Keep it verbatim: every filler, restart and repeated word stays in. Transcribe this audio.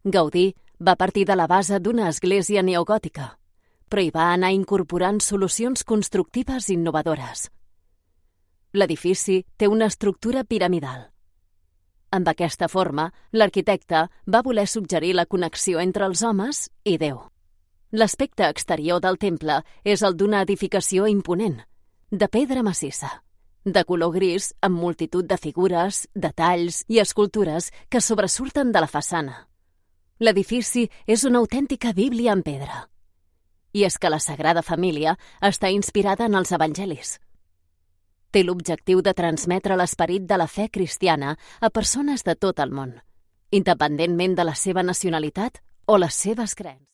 Gaudí va partir de la base d'una església neogòtica, però hi va anar incorporant solucions constructives innovadores. L'edifici té una estructura piramidal. Amb aquesta forma, l'arquitecte va voler suggerir la connexió entre els homes i Déu. L'aspecte exterior del temple és el d'una edificació imponent, de pedra massissa, de color gris amb multitud de figures, detalls i escultures que sobresurten de la façana. L'edifici és una autèntica bíblia en pedra. I és que la Sagrada Família està inspirada en els evangelis. Té l'objectiu de transmetre l'esperit de la fe cristiana a persones de tot el món, independentment de la seva nacionalitat o les seves creences.